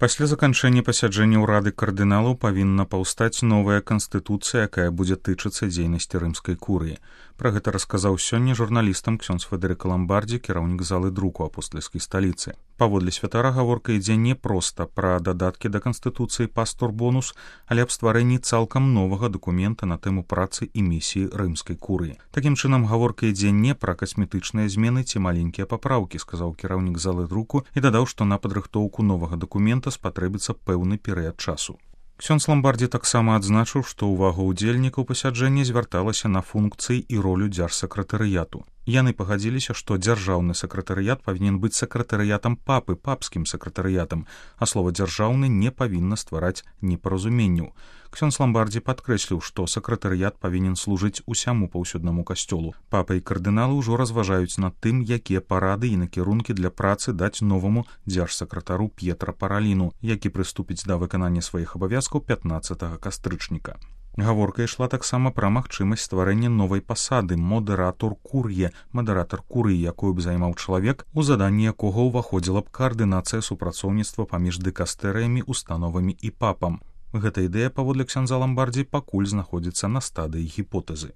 Пасля заканчэння пасяджэння ўрады кардыналаў павінна паўстаць новая канстытуцыя, якая будзе тычыцца дзейнасці рымскай курыі. Пра гэта расказаў сёння журналістам ксёндз Федэрыка Ламбардзі, кіраўнік залы друку апостальскай сталіцы. Паводле святара гаворка ідзе не проста пра дадаткі да канстытуцыі пастор-бонус, але аб стварэнні цалкам новага дакумента на тэму працы і місіі рымскай курыі. Такім чынам гаворка ідзе не пра касметычныя змены ці маленькія папраўкі, сказаў кіраўнік залы друку і дадаў, што на падрыхтоўку новага дакумента спатрэбіцца пэўны перыяд часу. Ксёндз Ламбардзі таксама адзначыў, што ўвага ўдзельнікаў пасяджэння звярталася на функцыі і ролю дзяржсакратарыяту. Яны пагадзіліся, што дзяржаўны сакратарыят павінен быць сакратарыятам папы, папскім сакратарыятам, а слова дзяржаўны не павінна ствараць непаразуменняў. Ксёндз Ламбардзі падкрэсліў, што сакратарыят павінен служыць усяму паўсюднаму касцёлу. Папа і кардыналы ўжо разважаюць над тым, якія парады і накірункі для працы даць новаму дзяржсакратару П'етра Параліну, які прыступіць да выканання сваіх абавязкаў 15 кастрычніка. Гаворка ішла таксама пра магчымасць стварэння новай пасады модератор кур'е, мадэратар курыі, якую б займаў чалавек, у заданні якога ўваходзіла б каардынацыя супрацоўніцтва паміж дыкастэрыямі, установамі і папам. Гэта ідэя, паводле ксяндза Ламбардзі, пакуль знаходзіцца на стадыі гіпотэзы.